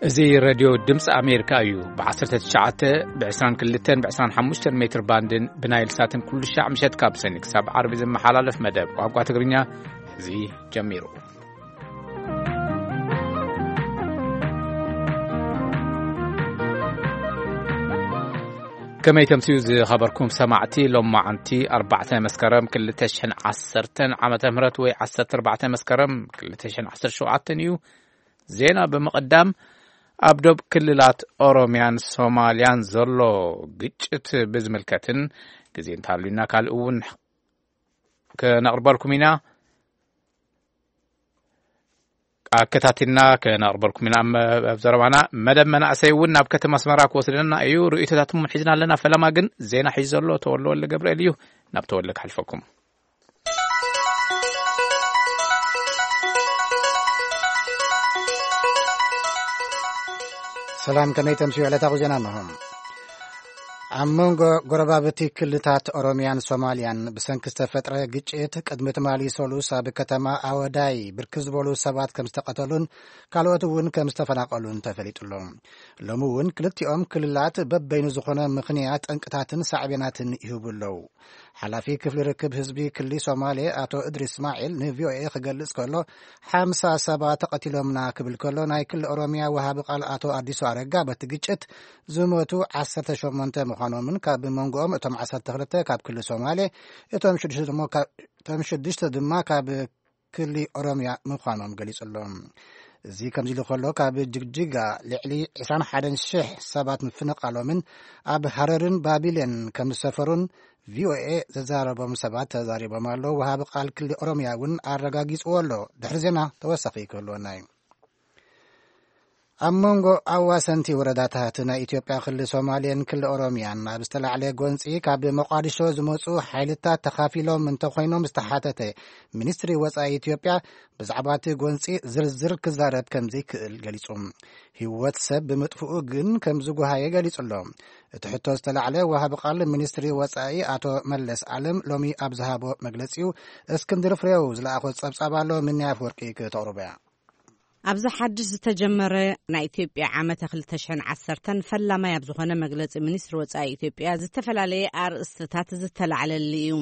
እዚ ሬድዮ ድምፂ ኣሜሪካ እዩ። ብ19፣ ብ22፣ ብ25 ሜትር ባንድን ብናይል ሳትን ኩሉ ሻዕ ምሸት ካብ ሰኒ ክሳብ ዓርቢ ዝመሓላለፍ መደብ ቋንቋ ትግርኛ እዚ ጀሚሩ። ከመይ ተምስዩ ዝኸበርኩም ሰማዕቲ፣ ሎማዓንቲ ኣርባዕተ መስከረም ክልተ ሽሕን ዓሰርተን ዓመተ ምህረት ወይ ዓሰርተ ኣርባዕተ መስከረም ክልተ ሽሕን ዓሰርተ ሸውዓተን እዩ። ዜና ብምቕዳም፣ ኣብ ዶብ ክልላት ኦሮምያን ሶማልያን ዘሎ ግጭት ብዝምልከትን ግዜ እንተሃልዩና ካልእ እውን ከነቕርበልኩም ኢና። ኣከታቲልና ከነቕርበልኩም ኢና። ኣብ ዘረባና መደብ መናእሰይ እውን ናብ ከተማ ኣስመራ ክወስደና እዩ። ርእይቶታትኩም ሒዝና ኣለና። ፈለማ ግን ዜና ሒዙ ዘሎ ተወልደ ወልደ ገብርኤል እዩ። ናብ ተወልደ ክሓልፈኩም። ሰላም፣ ከመይ ተምስዩ ዕለታዊ ዜና እንሆ። ኣብ መንጎ ጎረባብቲ ክልታት ኦሮምያን ሶማልያን ብሰንኪ ዝተፈጥረ ግጭት ቅድሚ ትማሊ ሰሉስ ኣብ ከተማ ኣወዳይ ብርክት ዝበሉ ሰባት ከም ዝተቐተሉን ካልኦት እውን ከም ዝተፈናቐሉን ተፈሊጡ ኣሎ። ሎሚ እውን ክልቲኦም ክልላት በበይኑ ዝኾነ ምኽንያት ጠንቅታትን ሳዕቤናትን ይህቡ ኣለዉ። ሓላፊ ክፍሊ ርክብ ህዝቢ ክሊ ሶማሌ ኣቶ እድሪስ እስማዒል ንቪኦኤ ክገልጽ ከሎ፣ ሓምሳ ሰባት ተቐቲሎምና ክብል ከሎ፣ ናይ ክሊ ኦሮምያ ወሃቢ ቃል ኣቶ ኣዲሱ ኣረጋ በቲ ግጭት ዝሞቱ ዓሰርተ ሸሞንተ ምዃኖምን ካብ መንጎኦም እቶም ዓሰርተ ክልተ ካብ ክሊ ሶማሌ፣ እቶም ሽዱሽተ ድማ ካብ፣ እቶም ሽዱሽተ ድማ ካብ ክሊ ኦሮምያ ምዃኖም ገሊጹ ኣሎ። እዚ ከምዚ ኢሉ ከሎ፣ ካብ ጅግጅጋ ልዕሊ ዕስራን ሓደን ሽሕ ሰባት ምፍንቓሎምን ኣብ ሃረርን ባቢሌን ከም ዝሰፈሩን ቪኦኤ ዘዛረቦም ሰባት ተዛሪቦም ኣለዉ። ወሃቢ ቃል ክሊ ኦሮምያ እውን ኣረጋጊጽዎ ኣሎ። ድሕሪ ዜና ተወሳኺ ክህልወና እዩ። ኣብ መንጎ ኣዋሰንቲ ወረዳታት ናይ ኢትዮጵያ ክሊ ሶማሌን ክሊ ኦሮምያን ኣብ ዝተላዕለ ጎንጺ ካብ መቋዲሾ ዝመጹ ሓይልታት ተኻፊሎም እንተኾይኖም ዝተሓተተ ሚኒስትሪ ወጻኢ ኢትዮጵያ ብዛዕባ እቲ ጎንጺ ዝርዝር ክዛረብ ከም ዘይክእል ገሊጹ። ህይወት ሰብ ብምጥፍኡ ግን ከም ዝጓሃየ ገሊጹ ኣሎ። እቲ ሕቶ ዝተላዕለ ወሃቢ ቃል ሚኒስትሪ ወጻኢ ኣቶ መለስ ኣለም ሎሚ ኣብ ዝሃቦ መግለጺኡ፣ እስክንድር ፍሬው ዝለኣኾ ጸብጻብ ኣሎ፣ ምንያ ኣፍወርቂ ክተቕርቦ እያ። ኣብዚ ሓድሽ ዝተጀመረ ናይ ኢትዮጵያ ዓመተ ክልተ ሽሕን ዓሰርተን ፈላማይ ኣብ ዝኾነ መግለጺ ሚኒስትሪ ወጻኢ ኢትዮጵያ ዝተፈላለየ ኣርእስትታት ዝተላዕለሉ እዩ።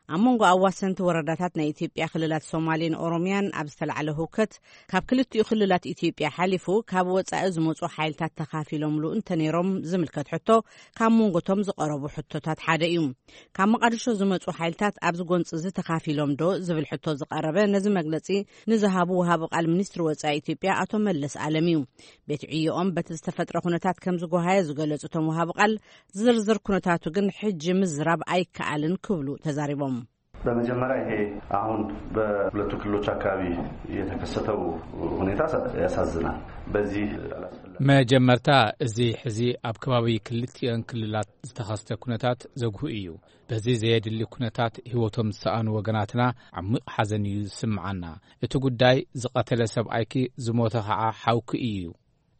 ኣብ መንጎ ኣዋሰንቲ ወረዳታት ናይ ኢትዮጵያ ክልላት ሶማሌን ኦሮምያን ኣብ ዝተላዕለ ህውከት፣ ካብ ክልቲኡ ክልላት ኢትዮጵያ ሓሊፉ ካብ ወጻኢ ዝመጹ ሓይልታት ተኻፊሎምሉ እንተነይሮም ዝምልከት ሕቶ ካብ መንጎቶም ዝቐረቡ ሕቶታት ሓደ እዩ። ካብ መቓድሾ ዝመጹ ሓይልታት ኣብዚ ጎንጺ እዚ ተኻፊሎም ዶ ዝብል ሕቶ ዝቐረበ ነዚ መግለጺ ንዝሃቡ ወሃቢ ቃል ሚኒስትሪ ወጻኢ ኢትዮጵያ ኣቶ መለስ ኣለም እዩ። ቤት ዕዮኦም በቲ ዝተፈጥረ ኩነታት ከም ዝጎሃየ ዝገለጹ እቶም ወሃቢ ቃል፣ ዝርዝር ኩነታቱ ግን ሕጂ ምዝራብ ኣይከኣልን ክብሉ ተዛሪቦም። በመጀመሪያ ይሄ አሁን በሁለቱ ክልሎች አካባቢ የተከሰተው ሁኔታ ያሳዝናል። በዚህ አላስፈላጊ መጀመርታ፣ እዚ ሕዚ ኣብ ከባቢ ክልቲአን ክልላት ዝተኸስተ ኩነታት ዘጉህ እዩ። በዚ ዘየድሊ ኩነታት ህይወቶም ዝሰኣኑ ወገናትና ዓሚቕ ሓዘን እዩ ዝስምዓና። እቲ ጉዳይ ዝቐተለ ሰብኣይኪ ዝሞተ ኸዓ ሓውኪ እዩ።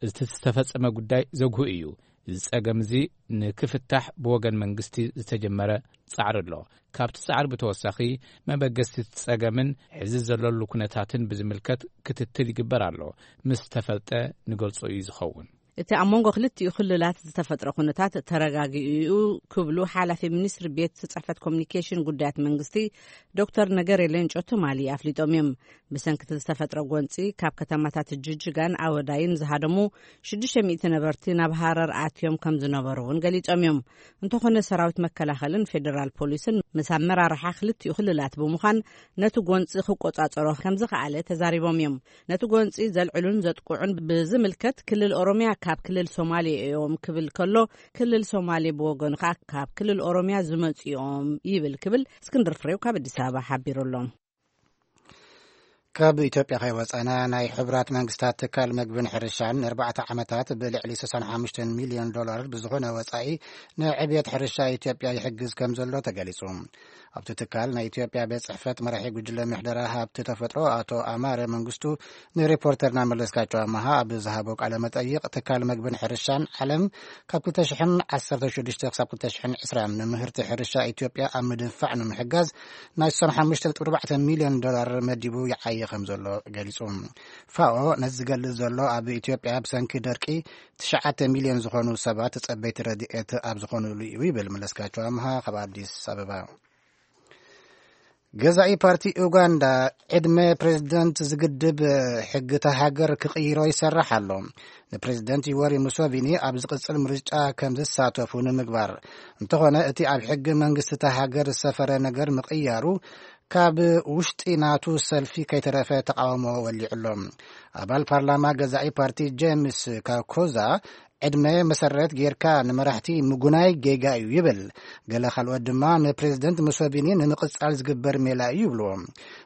እቲ ዝተፈጸመ ጉዳይ ዘጉህ እዩ። እዚ ጸገም እዚ ንክፍታሕ ብወገን መንግስቲ ዝተጀመረ ጻዕሪ ኣሎ። ካብቲ ጻዕሪ ብተወሳኺ መበገስቲ እቲ ጸገምን ሕዚ ዘለሉ ኩነታትን ብዝምልከት ክትትል ይግበር ኣሎ። ምስ ተፈልጠ ንገልጾ እዩ ዝኸውን። እቲ ኣብ መንጎ ክልቲኡ ክልላት ዝተፈጥረ ኩነታት ተረጋጊኡ እዩ ክብሉ ሓላፊ ሚኒስትሪ ቤት ጽሕፈት ኮሚኒኬሽን ጉዳያት መንግስቲ ዶክተር ነገሬ ሌንጮ ትማሊ ኣፍሊጦም እዮም። ብሰንኪ እቲ ዝተፈጥረ ጎንጺ ካብ ከተማታት ጅጅጋን ኣወዳይን ዝሃደሙ ሽዱሽተ ሚእቲ ነበርቲ ናብ ሃረር ኣትዮም ከም ዝነበሩ እውን ገሊጾም እዮም። እንተኾነ ሰራዊት መከላኸልን ፌደራል ፖሊስን ምስ ኣመራርሓ ክልቲኡ ክልላት ብምዃን ነቲ ጎንጺ ክቆጻጸሮ ከም ዝኸኣለ ተዛሪቦም እዮም። ነቲ ጎንጺ ዘልዕሉን ዘጥቅዑን ብዝምልከት ክልል ኦሮምያ ካብ ክልል ሶማሌ እዮም ክብል ከሎ፣ ክልል ሶማሌ ብወገኑ ከኣ ካብ ክልል ኦሮምያ ዝመጹ እዮም ይብል ክብል እስክንድር ፍሬው ካብ ኣዲስ ኣበባ ሓቢሩ ኣሎ። ካብ ኢትዮጵያ ከይወጸና፣ ናይ ሕቡራት መንግስታት ትካል መግብን ሕርሻን ንኣርባዕተ ዓመታት ብልዕሊ ስሳን ሓሙሽተን ሚልዮን ዶላር ብዝኾነ ወጻኢ ንዕብየት ሕርሻ ኢትዮጵያ ይሕግዝ ከም ዘሎ ተገሊጹ። ኣብቲ ትካል ናይ ኢትዮጵያ ቤት ጽሕፈት መራሒ ጉጅለ ምሕደራ ሃብቲ ተፈጥሮ ኣቶ ኣማረ መንግስቱ ንሪፖርተርና መለስካቸው ኣመሃ ኣብ ዝሃቦ ቃለ መጠይቕ፣ ትካል መግብን ሕርሻን ዓለም ካብ ክልተ ሽሕን ዓሰርተ ሽዱሽተ ክሳብ ክልተ ሽሕን ዕስራን ንምህርቲ ሕርሻ ኢትዮጵያ ኣብ ምድንፋዕ ንምሕጋዝ ናይ ስሳን ሓሙሽተ ነጥቢ ኣርባዕተ ሚልዮን ዶላር መዲቡ ይዓየ ከም ዘሎ ገሊጹ። ፋኦ ነዚ ዝገልጽ ዘሎ ኣብ ኢትዮጵያ ብሰንኪ ደርቂ ትሽዓተ ሚልዮን ዝኾኑ ሰባት ጸበይቲ ረድኤት ኣብ ዝኾኑሉ እዩ ይብል። መለስካቸው ኣምሃ ካብ ኣዲስ ኣበባ። ገዛኢ ፓርቲ ኡጋንዳ ዕድመ ፕሬዝደንት ዝግድብ ሕጊ እታ ሃገር ክቕይሮ ይሰርሕ ኣሎ። ንፕሬዝደንት ዩወሪ ሙሶቪኒ ኣብ ዝቕጽል ምርጫ ከም ዝሳተፉ ንምግባር፣ እንተኾነ እቲ ኣብ ሕጊ መንግስቲ እታ ሃገር ዝሰፈረ ነገር ምቕያሩ ካብ ውሽጢ ናቱ ሰልፊ ከይተረፈ ተቃውሞ ወሊዑ ኣሎ። ኣባል ፓርላማ ገዛኢ ፓርቲ ጄምስ ካኮዛ ዕድመ መሰረት ጌርካ ንመራሕቲ ምጉናይ ጌጋ እዩ ይብል። ገለ ካልኦት ድማ ንፕሬዝደንት ሙሶቪኒ ንምቕጻል ዝግበር ሜላ እዩ ይብልዎ።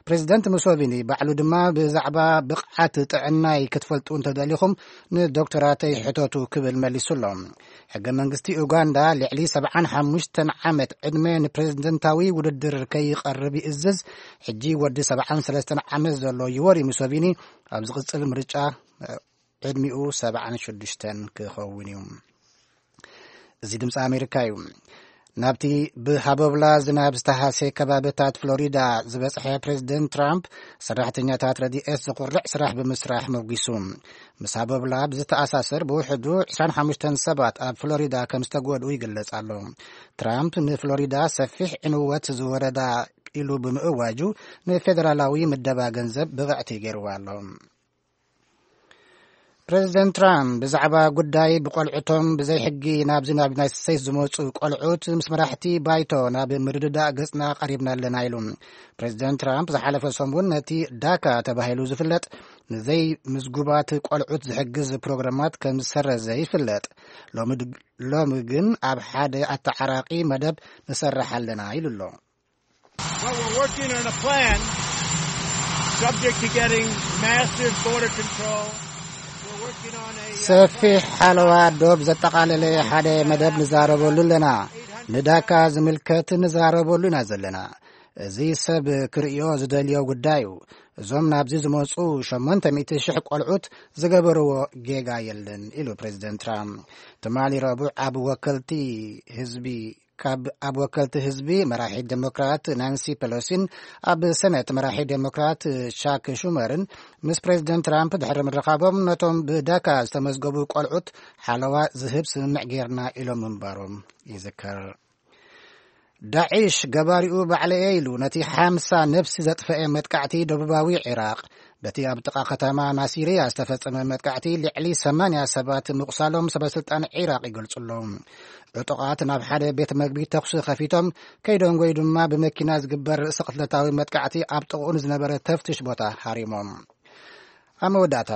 ፕሬዝደንት ሙሶቪኒ ባዕሉ ድማ ብዛዕባ ብቕዓት ጥዕናይ ክትፈልጡ እንተደሊኹም ንዶክተራተይ ሕተቱ ክብል መሊሱ ኣሎ። ሕገ መንግስቲ ኡጋንዳ ልዕሊ ሰብዓን ሓሙሽተን ዓመት ዕድመ ንፕሬዝደንታዊ ውድድር ከይቐርብ ይእዝዝ። ሕጂ ወዲ ሰብዓን ሰለስተን ዓመት ዘሎ ዩወሪ ሙሶቪኒ ኣብ ዝቕጽል ምርጫ ዕድሚኡ ሰብዓን ሽዱሽተን ክኸውን እዩ። እዚ ድምፂ ኣሜሪካ እዩ። ናብቲ ብሃቦብላ ዝናብ ዝተሃሰየ ከባብታት ፍሎሪዳ ዝበፅሐ ፕሬዚደንት ትራምፕ፣ ሰራሕተኛታት ረድኤት ዝኹርዕ ስራሕ ብምስራሕ መጒሱ። ምስ ሃቦብላ ብዝተኣሳሰር ብውሕዱ ዕስራን ሓሙሽተን ሰባት ኣብ ፍሎሪዳ ከም ዝተጎድኡ ይግለጽ ኣሎ። ትራምፕ ንፍሎሪዳ ሰፊሕ ዕንወት ዝወረዳ ኢሉ ብምእዋጁ፣ ንፌደራላዊ ምደባ ገንዘብ ብቕዕቲ ገይርዋ ኣሎ። ፕሬዚደንት ትራምፕ ብዛዕባ ጉዳይ ብቆልዑቶም ብዘይ ሕጊ ናብዚ ናብ ዩናይትድ ስቴትስ ዝመጹ ቆልዑት ምስ መራሕቲ ባይቶ ናብ ምርድዳእ ገጽና ቀሪብና ኣለና ኢሉ። ፕሬዚደንት ትራምፕ ዝሓለፈ ሰሙን ነቲ ዳካ ተባሂሉ ዝፍለጥ ንዘይ ምዝጉባት ቆልዑት ዝሕግዝ ፕሮግራማት ከም ዝሰረዘ ይፍለጥ። ሎሚ ድ-፣ ሎሚ ግን ኣብ ሓደ ኣተዓራቂ መደብ ንሰርሕ ኣለና ኢሉ ኣሎ። Well, we're working on a plan subject to getting massive border control. We're working on a, uh, ሰፊሕ ሓለዋ ዶብ ዘጠቓለለ ሓደ መደብ ንዛረበሉ ኣለና። ንዳካ ዝምልከት ንዛረበሉ ኢና ዘለና። እዚ ሰብ ክርእዮ ዝደልዮ ጉዳይ እዩ። እዞም ናብዚ ዝመጹ ሸሞንተ ሚእቲ ሽሕ ቆልዑት ዝገበርዎ ጌጋ የለን ኢሉ ፕሬዚደንት ትራምፕ። ትማሊ ረቡዕ ኣብ ወከልቲ ህዝቢ ካብ ኣብ ወከልቲ ህዝቢ መራሒ ዴሞክራት ናንሲ ፔሎሲን ኣብ ሰነት መራሒ ዴሞክራት ቻክ ሹመርን ምስ ፕሬዚደንት ትራምፕ ድሕሪ ምርኻቦም፣ ነቶም ብዳካ ዝተመዝገቡ ቆልዑት ሓለዋ ዝህብ ስምምዕ ጌርና ኢሎም ምንባሮም ይዝከር። ዳዒሽ ገባሪኡ ባዕለየ ኢሉ ነቲ ሓምሳ ነብሲ ዘጥፈኤ መጥቃዕቲ ደቡባዊ ዒራቅ፣ በቲ ኣብ ጥቓ ከተማ ናሲርያ ዝተፈጸመ መጥቃዕቲ ልዕሊ ሰማንያ ሰባት ምቑሳሎም ሰበስልጣን ዒራቅ ይገልጹ ኣለዉ። ዕጡቓት ናብ ሓደ ቤት መግቢ ተኹሲ ከፊቶም ከይደንጎዩ ድማ ብመኪና ዝግበር ርእሰ ቅትለታዊ መጥቃዕቲ ኣብ ጥቕኡ ንዝነበረ ተፍትሽ ቦታ ሃሪሞም። ኣብ መወዳእታ፣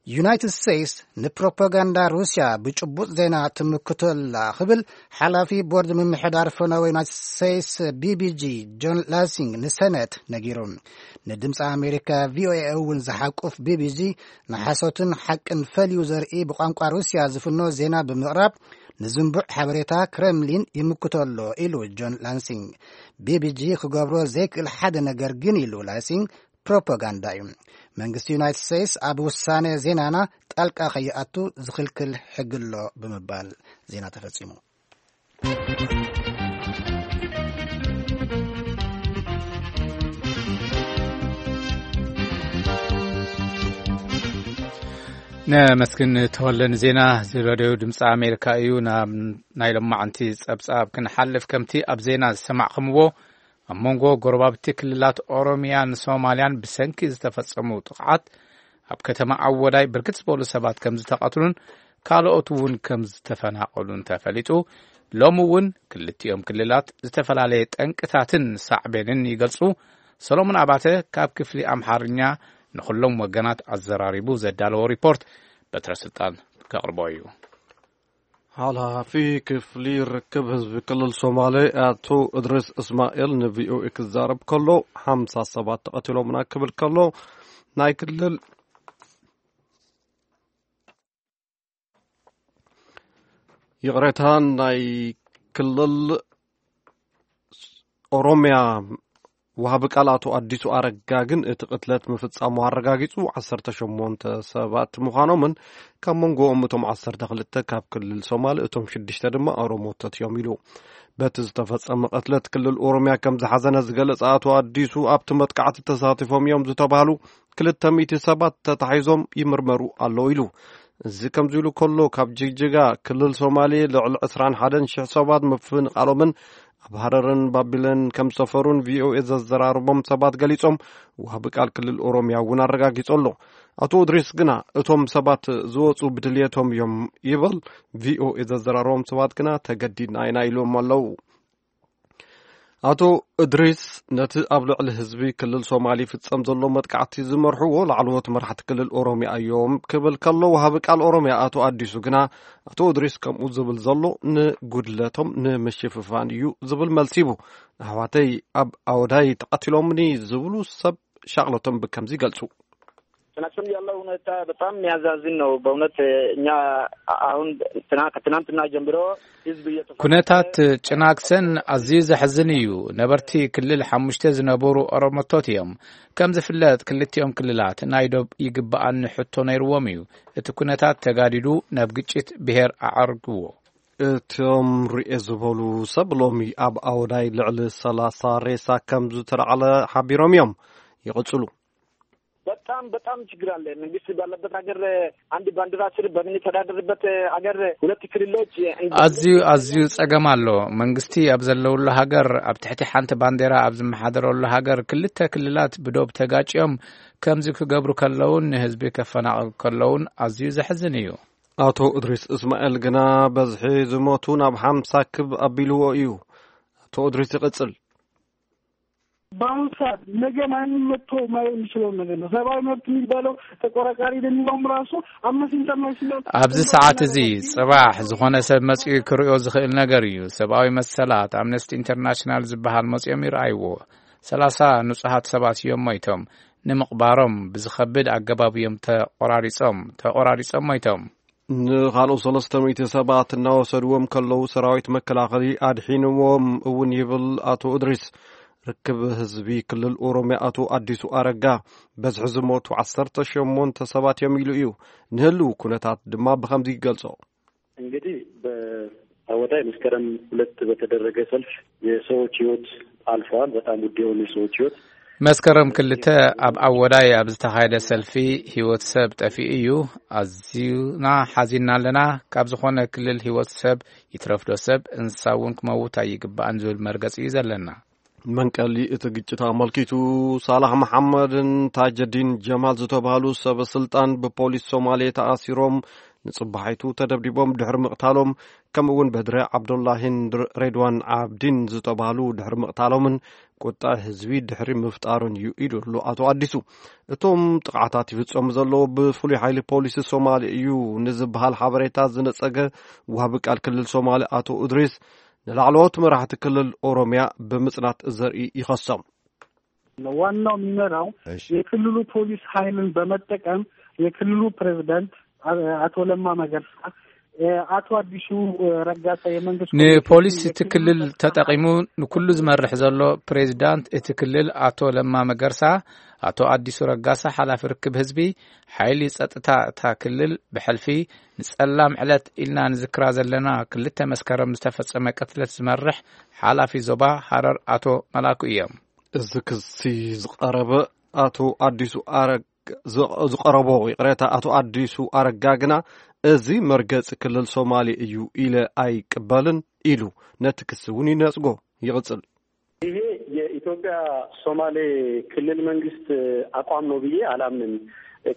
ዩናይትድ ስቴትስ ንፕሮፓጋንዳ ሩስያ ብጭቡጥ ዜና ትምክቶ ኣላ ክብል ሓላፊ ቦርድ ምምሕዳር ፈነወ ዩናይትድ ስቴትስ ቢቢጂ ጆን ላሲንግ ንሰነት ነጊሩ። ንድምፂ ኣሜሪካ ቪኦኤ እውን ዝሓቁፍ ቢቢጂ ንሓሶትን ሓቅን ፈልዩ ዘርኢ ብቋንቋ ሩስያ ዝፍኖ ዜና ብምቕራብ ንዝንቡዕ ሓበሬታ ክረምሊን ይምክቶ ኣሎ ኢሉ ጆን ላንሲንግ። ቢቢጂ ክገብሮ ዘይክእል ሓደ ነገር ግን ኢሉ ላሲንግ ፕሮፓጋንዳ እዩ። መንግስቲ ዩናይትድ ስቴትስ ኣብ ውሳነ ዜናና ጣልቃ ከይኣቱ ዝኽልክል ሕጊ ኣሎ ብምባል ዜና ተፈጺሙ። ነመስግን ተወለን ዜና ዝረደዩ ድምፂ ኣሜሪካ እዩ። ናብ ናይ ሎማዓንቲ ፀብፃብ ክንሓልፍ፣ ከምቲ ኣብ ዜና ዝሰማዕኹምዎ ኣብ መንጎ ጎረባብቲ ክልላት ኦሮሚያን ሶማልያን ብሰንኪ ዝተፈጸሙ ጥቕዓት ኣብ ከተማ ኣወዳይ ብርክት ዝበሉ ሰባት ከም ዝተቐትሉን ካልኦት እውን ከም ዝተፈናቐሉን ተፈሊጡ። ሎሚ እውን ክልቲኦም ክልላት ዝተፈላለየ ጠንቅታትን ሳዕቤንን ይገልጹ። ሰሎሞን ኣባተ ካብ ክፍሊ ኣምሓርኛ ንኹሎም ወገናት ኣዘራሪቡ ዘዳለዎ ሪፖርት በትረ ስልጣን ከቕርቦ እዩ። ሓላፊ ክፍሊ ርክብ ህዝቢ ክልል ሶማሌ ኣቶ እድሪስ እስማኤል ንቪኦኤ ክዛረብ ከሎ፣ ሓምሳ ሰባት ተቐቲሎምና ክብል ከሎ፣ ናይ ክልል፣ ይቕሬታ፣ ናይ ክልል ኦሮሚያ ወሃቢ ቃል ኣቶ ኣዲሱ ኣረጋ ግን እቲ ቅትለት ምፍጻሙ ኣረጋጊጹ፣ ዓሰርተ ሸሞንተ ሰባት ምዃኖምን ካብ መንጎኦም እቶም ዓሰርተ ክልተ ካብ ክልል ሶማል፣ እቶም ሽዱሽተ ድማ ኦሮሞታት እዮም ኢሉ። በቲ ዝተፈጸመ ቅትለት ክልል ኦሮሚያ ከም ዝሓዘነ ዝገለጸ ኣቶ ኣዲሱ፣ ኣብቲ መጥቃዕቲ ተሳቲፎም እዮም ዝተባህሉ ክልተ ሚእቲ ሰባት ተታሒዞም ይምርመሩ ኣለዉ ኢሉ። እዚ ከምዚ ኢሉ ከሎ፣ ካብ ጅግጅጋ ክልል ሶማሌ ልዕሊ ዕስራን ሓደን ሽሕ ሰባት ምፍንቓሎምን ኣብ ሃረርን ባቢለን ከም ዝሰፈሩን ቪኦኤ ዘዘራረቦም ሰባት ገሊጾም። ወሃቢ ቃል ክልል ኦሮሚያ እውን ኣረጋጊጹ ኣሎ። ኣቶ እድሪስ ግና እቶም ሰባት ዝወጹ ብድልየቶም እዮም ይበል። ቪኦኤ ዘዘራረቦም ሰባት ግና ተገዲድና ኢና ኢሎም ኣለዉ። ኣቶ እድሪስ ነቲ ኣብ ልዕሊ ህዝቢ ክልል ሶማሊ ይፍጸም ዘሎ መጥቃዕቲ ዝመርሕዎ ላዕለዎት መራሕቲ ክልል ኦሮሚያ እዮም ክብል ከሎ፣ ወሃቢ ቃል ኦሮሚያ ኣቶ ኣዲሱ ግና፣ ኣቶ እድሪስ ከምኡ ዝብል ዘሎ ንጉድለቶም ንምሽፍፋን እዩ ዝብል መልሲ ሂቡ። ኣሕዋተይ ኣብ ኣወዳይ ተቐቲሎምኒ ዝብሉ ሰብ ሻቕሎቶም ብከምዚ ይገልጹ። ጭናክሰን ያለው ሁኔታ በጣም የሚያዛዝን ነው በእውነት። እኛ አሁን ትናንትና ጀምሮ ህዝብ እየተፈናቀለ ኩነታት ጭናክሰን ኣዝዩ ዘሕዝን እዩ። ነበርቲ ክልል ሓሙሽተ ዝነበሩ ኦሮሞቶት እዮም። ከም ዝፍለጥ ክልቲኦም ክልላት ናይ ዶብ ይግባኣኒ ሕቶ ነይርዎም እዩ። እቲ ኩነታት ተጋዲዱ ናብ ግጭት ብሄር ኣዓርግዎ። እቶም ርኤ ዝበሉ ሰብ ሎሚ ኣብ ኣወዳይ ልዕሊ ሰላሳ ሬሳ ከም ዝተላዕለ ሓቢሮም እዮም። ይቕጽሉ። በጣም በጣም ችግር አለ። መንግስት ባለበት ሀገር አንድ ባንዲራ ስር በምንተዳደርበት ሀገር ሁለት ክልሎች እንደ- ኣዝዩ ኣዝዩ ጸገም ኣሎ። መንግስቲ ኣብ ዘለውሉ ሃገር፣ ኣብ ትሕቲ ሓንቲ ባንዴራ ኣብ ዝመሓደረሉ ሃገር ክልተ ክልላት ብዶብ ተጋጭዮም ከምዚ ክገብሩ ከለውን ንህዝቢ ከፈናቕሉ ከለውን ኣዝዩ ዘሕዝን እዩ። ኣቶ እድሪስ እስማኤል ግና በዝሒ ዝሞቱ ናብ ሓምሳ ክብ ኣቢልዎ እዩ። ኣቶ እድሪስ ይቕጽል። በአሁኑ ሰዓት ነገ ማንም መጥቶ ማየት የሚችለውን ነገር ነው። ሰብአዊ መብት የሚባለው ተቆራቃሪ የሚለውም ራሱ አምነስቲ ኢንተርናሽናል ኣብዚ ሰዓት እዚ ጽባሕ ዝኾነ ሰብ መጺኡ ክርእዮ ዝኽእል ነገር እዩ። ሰብኣዊ መሰላት ኣምነስቲ ኢንተርናሽናል ዝበሃል መጺኦም ይረኣይዎ። ሰላሳ ንጹሃት ሰባት እዮም ሞይቶም። ንምቕባሮም ብዝኸብድ ኣገባብ እዮም ተቆራሪጾም፣ ተቆራሪጾም ሞይቶም። ንኻልኦት ሰለስተ ሚእቲ ሰባት እናወሰድዎም ከለዉ፣ ሰራዊት መከላኸሊ ኣድሒንዎም እውን ይብል ኣቶ እድሪስ። ርክብ ህዝቢ ክልል ኦሮሚያ ኣቶ ኣዲሱ ኣረጋ፣ በዝሒ ዝሞቱ ዓሰርተ ሸሞንተ ሰባት እዮም ኢሉ እዩ። ንህልው ኩነታት ድማ ብኸምዚ ይገልጾ። እንግዲህ በአወዳይ መስከረም ሁለት በተደረገ ሰልፍ የሰዎች ህይወት አልፈዋል። በጣም ውድ የሆኑ የሰዎች ህይወት መስከረም ክልተ ኣብ ኣወዳይ ኣብ ዝተኻየደ ሰልፊ ህይወት ሰብ ጠፊኡ እዩ። ኣዝዩና ሓዚንና ኣለና። ካብ ዝኾነ ክልል ህይወት ሰብ ይትረፍዶ ሰብ፣ እንስሳ እውን ክመውት ኣይግባእን ዝብል መርገጺ እዩ ዘለና። መንቀሊ እቲ ግጭት ኣመልኪቱ፣ ሳላሕ መሓመድን ታጀዲን ጀማል ዝተባህሉ ሰበ ስልጣን ብፖሊስ ሶማሌ ተኣሲሮም፣ ንጽባሒቱ ተደብዲቦም ድሕሪ ምቕታሎም፣ ከምኡ እውን በድረ ዓብዱላሂን ሬድዋን ዓብዲን ዝተባህሉ ድሕሪ ምቕታሎምን ቁጣ ህዝቢ ድሕሪ ምፍጣሩን እዩ ኢሉ ኣሎ ኣቶ ኣዲሱ። እቶም ጥቕዓታት ይፍጸሙ ዘለዉ ብፍሉይ ሓይሊ ፖሊስ ሶማሌ እዩ ንዝበሃል ሓበሬታ ዝነጸገ ወሃቢ ቃል ክልል ሶማሌ ኣቶ እድሪስ፣ ንላዕለዎት መራሕቲ ክልል ኦሮሚያ ብምጽናት ዘርኢ ይኸሶም። ዋናው የሚመራው እሺ። የክልሉ ፖሊስ ኃይልን በመጠቀም የክልሉ ፕሬዝዳንት አ-፣ አቶ ለማ መገርሳ፣ እ፣ አቶ አዲሱ፣ እ፣ ረጋሳ የመንግስት ንፖሊስ ኮሚኒኬሽን እቲ ክልል ተጠቂሙ ንኩሉ ዝመርሕ ዘሎ ፕሬዝዳንት እቲ ክልል ኣቶ ለማ መገርሳ፣ ኣቶ ኣዲሱ ረጋሳ ሓላፊ ርክብ ህዝቢ፣ ሓይሊ ጸጥታ እታ ክልል ብሕልፊ ንጸላም ዕለት ኢልና ንዝክራ ዘለና ክልተ መስከረም ዝተፈጸመ ቅትለት ዝመርሕ ሓላፊ ዞባ ሃረር ኣቶ መላኩ እዮም። እዚ ክሲ ዝቐረበ ኣቶ ኣዲሱ ኣረግ-፣ ዝቐ-፣ ዝቐረቦ ይቕሬታ ኣቶ ኣዲሱ ኣረጋ ግና፣ "እዚ መርገጺ ክልል ሶማሌ እዩ ኢለ ኣይቅበልን" ኢሉ ነቲ ክሲ እውን ይነጽጎ። ይቕጽል። ይሄ የኢትዮጵያ ሶማሌ ክልል መንግስት አቋም ነው ብዬ አላምንም።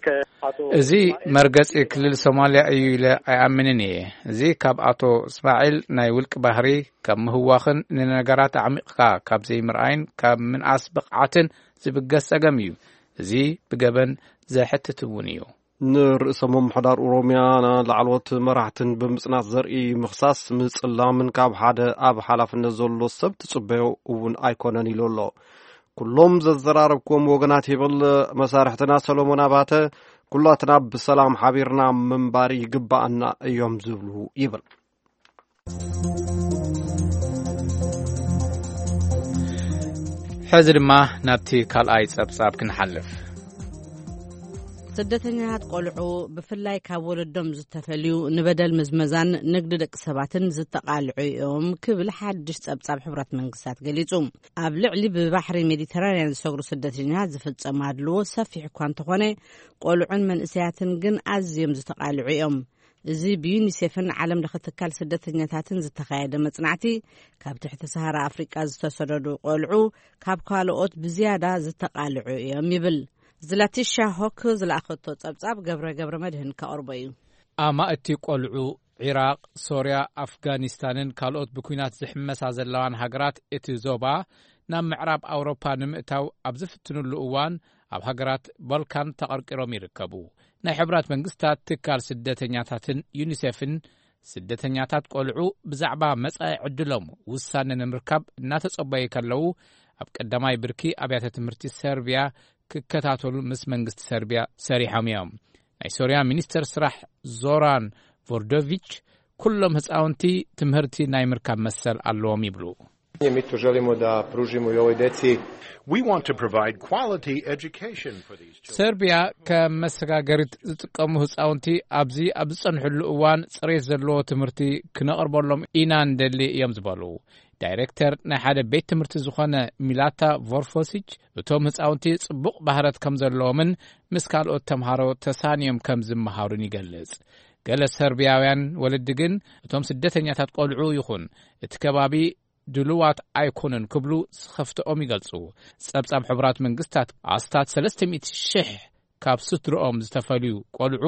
ከአቶ እዚ መርገጺ ክልል ሶማልያ እዩ ኢለ ኣይኣምንን እየ። እዚ ካብ ኣቶ እስማዒል ናይ ውልቂ ባህሪ፣ ካብ ምህዋኽን ንነገራት ኣዕሚቕካ ካብ ዘይምርኣይን ካብ ምንኣስ ብቕዓትን ዝብገስ ጸገም እዩ። እዚ ብገበን ዘሕትት እውን እዩ። ንርእሰ ምምሕዳር ኦሮሚያ ላዕለዎት መራሕትን ብምጽናት ዘርኢ ምኽሳስ፣ ምጽላምን ካብ ሓደ ኣብ ሓላፍነት ዘሎ ሰብ ትጽበዮ እውን ኣይኮነን ኢሉ ኣሎ። ኩሎም ዘዘራረብክዎም ወገናት ይብል መሳርሕትና ሰሎሞን ኣባተ፣ ኩላትና ብሰላም ሓቢርና ምንባር ይግባኣና እዮም ዝብሉ ይብል። ሕዚ ድማ ናብቲ ካልኣይ ጸብጻብ ክንሓልፍ። ስደተኛታት ቆልዑ ብፍላይ ካብ ወለዶም ዝተፈልዩ ንበደል ምዝመዛን ንግዲ ደቂ ሰባትን ዝተቓልዑ እዮም ክብል ሓድሽ ጸብጻብ ሕብረት መንግስታት ገሊጹ። ኣብ ልዕሊ ብባሕሪ ሜዲተራንያን ዝሰግሩ ስደተኛታት ዝፍጸም ኣድልዎ ሰፊሕ እኳ እንተኾነ፣ ቆልዑን መንእሰያትን ግን ኣዝዮም ዝተቓልዑ እዮም። እዚ ብዩኒሴፍን ዓለም ለኸ ትካል ስደተኛታትን ዝተኻየደ መጽናዕቲ፣ ካብ ትሕቲ ሰሃራ ኣፍሪቃ ዝተሰደዱ ቆልዑ ካብ ካልኦት ብዝያዳ ዝተቓልዑ እዮም ይብል። ዝላቲሻ ሆክ ዝለኣኸቶ ጸብጻብ ገብረ ገብረ መድህን ከቕርቦ እዩ። ኣማእቲ ቆልዑ ዒራቕ፣ ሶርያ፣ ኣፍጋኒስታንን ካልኦት ብኲናት ዝሕመሳ ዘለዋን ሃገራት እቲ ዞባ ናብ ምዕራብ ኣውሮፓ ንምእታው ኣብ ዝፍትኑሉ እዋን፣ ኣብ ሃገራት ባልካን ተቐርቂሮም ይርከቡ። ናይ ሕቡራት መንግስታት ትካል ስደተኛታትን ዩኒሴፍን፣ ስደተኛታት ቆልዑ ብዛዕባ መጻኢ ዕድሎም ውሳነ ንምርካብ እናተጸበዩ ከለዉ፣ ኣብ ቀዳማይ ብርኪ ኣብያተ ትምህርቲ ሰርቢያ ክከታተሉ ምስ መንግስቲ ሰርቢያ ሰሪሖም እዮም። ናይ ሶርያ ሚኒስተር ስራሕ ዞራን ቮርዶቪች፣ ኩሎም ህጻውንቲ ትምህርቲ ናይ ምርካብ መሰል ኣለዎም ይብሉ። Mi tu želimo da pružimo i ovoj deci. We want to provide quality education for these children. ሰርቢያ ከም መሰጋገሪት ዝጥቀሙ ህጻውንቲ ኣብዚ ኣብ ዝጸንሕሉ እዋን ጽሬት ዘለዎ ትምህርቲ ክነቕርበሎም ኢና እንደሊ እዮም ዝበሉ ዳይሬክተር ናይ ሓደ ቤት ትምህርቲ ዝኾነ ሚላታ ቮርፎሲች፣ እቶም ህጻውንቲ ጽቡቕ ባህረት ከም ዘለዎምን ምስ ካልኦት ተምሃሮ ተሳንዮም ከም ዝመሃሩን ይገልጽ። ገለ ሰርቢያውያን ወለዲ ግን እቶም ስደተኛታት ቆልዑ ይኹን እቲ ከባቢ ድሉዋት ኣይኮኑን ክብሉ ስኸፍትኦም ይገልጹ። ጸብጻብ ሕቡራት መንግስታት ኣስታት ሰለስተ ሚእቲ ሽሕ ካብ ስድርኦም ዝተፈልዩ ቆልዑ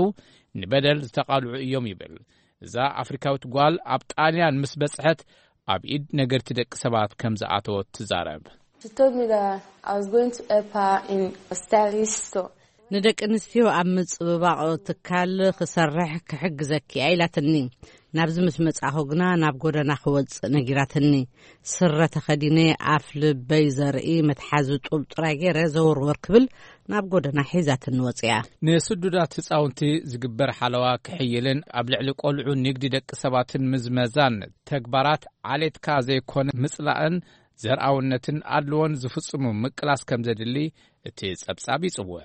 ንበደል ዝተቓልዑ እዮም ይብል። እዛ ኣፍሪካዊት ጓል ኣብ ጣልያን ምስ በጽሐት ኣብ ኢድ ነገርቲ ደቂ ሰባት ከም ዝኣተወት ትዛረብ። She told me that I was going to help her in a stylist store. ንደቂ ኣንስትዮ ኣብ ምጽብባቕ ትካል ክሰርሕ ክሕግዘኪ እያ ኢላትኒ። ናብዚ ምስ መጻኹ ግና ናብ ጎደና ክወጽእ ነጊራትኒ። ስረ ተኸዲነ ኣፍ ልበይ ዘርኢ መትሓዚ ጡብ ጥራይ ገይረ ዘወርወር ክብል ናብ ጎደና ሒዛትኒ ወጽያ። ንስዱዳት ህጻውንቲ ዝግበር ሓለዋ ክሕይልን ኣብ ልዕሊ ቆልዑ ንግዲ ደቂ ሰባትን ምዝመዛን ተግባራት ዓሌትካ ዘይኮነ ምጽላእን ዘርኣውነትን ኣድልዎን ዝፍጽሙ ምቅላስ ከም ዘድሊ እቲ ጸብጻብ ይጽውዕ።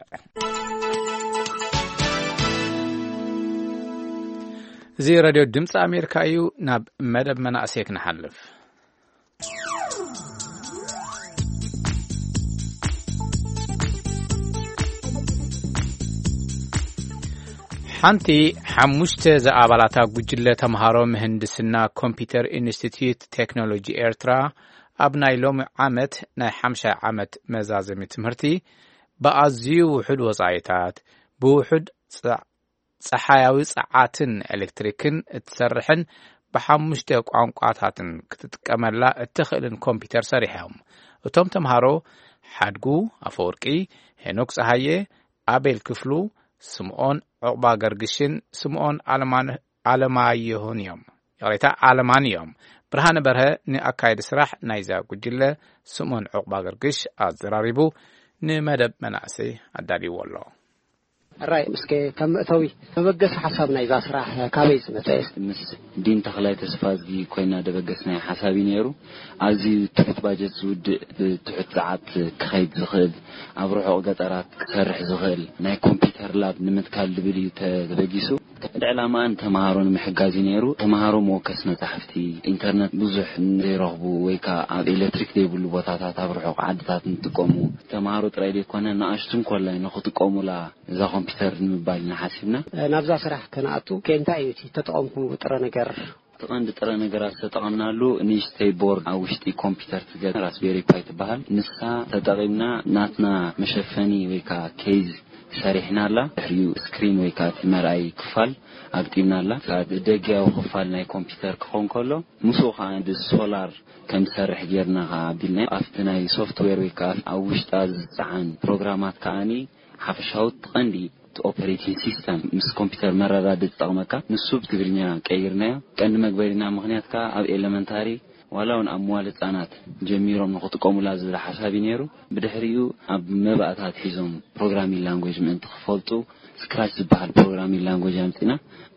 እዚ ሬድዮ ድምፂ ኣሜሪካ እዩ። ናብ መደብ መናእሰይ ክንሓልፍ። ሓንቲ ሓሙሽተ ዝኣባላታ ጉጅለ ተምሃሮ ምህንድስና ኮምፒውተር ኢንስቲትዩት ቴክኖሎጂ ኤርትራ ኣብ ናይ ሎሚ ዓመት ናይ ሓምሻይ ዓመት መዛዘሚ ትምህርቲ ብኣዝዩ ውሑድ ወጻኢታት፣ ብውሑድ ጸ-፣ ጸሓያዊ ጸዓትን ኤሌክትሪክን እትሰርሕን ብሓሙሽተ ቋንቋታትን ክትጥቀመላ እትኽእልን ኮምፒውተር ሰሪሖም። እቶም ተምሃሮ ሓድጉ ኣፈወርቂ፣ ሄኖክ ጸሃየ፣ ኣቤል ክፍሉ፣ ስምኦን ዑቕባ ገርግሽን ስምኦን ኣለማን-፣ ኣለማየሁን እዮም። ይቕሬታ፣ ኣለማን እዮም። ብርሃነ በርሀ ንኣካየዲ ስራሕ ናይዛ ጉጅለ ስምኦን ዑቕባ ገርግሽ ኣዘራሪቡ ንመደብ መናእሰይ ኣዳልይዎ ኣሎ። ሕራይ፣ እስከ ካብ መእተዊ መበገሲ ሓሳብ ናይዛ ስራሕ ካበይ ዝመጸ? ምስ ዲን ተኽላይ ተስፋዝጊ ኮይና ደበገስናዮ ሓሳብ እዩ ነይሩ። ኣዝዩ ትሑት ባጀት ዝውድእ፣ ብትሑት ጸዓት ክኸይድ ዝኽእል፣ ኣብ ርሑቕ ገጠራት ክሰርሕ ዝኽእል ናይ ኮምፒውተር ላብ ንምትካል ዝብል እዩ ተበጊሱ። ቀንዲ ዕላማኣ ንተምሃሮ ንምሕጋዝ እዩ ነይሩ። ተምሃሮ መወከሲ መጻሕፍቲ፣ ኢንተርነት ብዙሕ ንዘይረኽቡ ወይ ከኣ ኣብ ኤሌክትሪክ ዘይብሉ ቦታታት ኣብ ርሑቕ ዓድታት ንጥቀሙ ተምሃሮ ጥራይ ዘይኮነ ንኣሽቱ እንኮላይ ንኽጥቀሙላ እዛ ኮምፒውተር ንምባል ኢና ሓሲብና። ናብዛ ስራሕ ከነኣቱ ከ እንታይ እዩ እቲ ተጠቐምኩምሉ ጥረ ነገር? እቲ ቀንዲ ጥረ ነገራት ዝተጠቐምናሉ ንእሽተይ ቦርድ ኣብ ውሽጢ ኮምፒውተር ትገ-፣ ራስቤሪ ፓይ ትበሃል። ንሳ ተጠቒምና ናትና መሸፈኒ ወይ ከዓ ኬዝ ሰሪሕናላ። ድሕሪኡ ስክሪን ወይ ከዓ እቲ መርኣይ ክፋል ኣግጢምናላ። እቲ ደጊያዊ ክፋል ናይ ኮምፒውተር ክኸውን ከሎ ምስኡ ከዓ ሶላር ከም ዝሰርሕ ጌርና ከዓ ኣቢልና። ኣብቲ ናይ ሶፍትዌር ወይ ከዓ ኣብ ውሽጣ ዝፀዓን ፕሮግራማት ከዓኒ ሓፈሻዊ ቀንዲ እቲ ኦፐሬቲንግ ሲስተም ምስ ኮምፒውተር መረዳድእ ዝጠቕመካ፣ ንሱ ብትግርኛ ቀይርናዮ። ቀንዲ መግበሪና ምኽንያት ከኣ ኣብ ኤለመንታሪ ዋላ እውን ኣብ መዋለ ህጻናት ጀሚሮም ንኽጥቀሙላ ዝብል ሓሳብ እዩ ነይሩ። ብድሕሪኡ ኣብ መባእታት ሒዞም ፕሮግራሚንግ ላንጉጅ ምእንቲ ክፈልጡ ስክራች ዝበሃል ፕሮግራሚንግ ላንጉጅ ኣምጺና።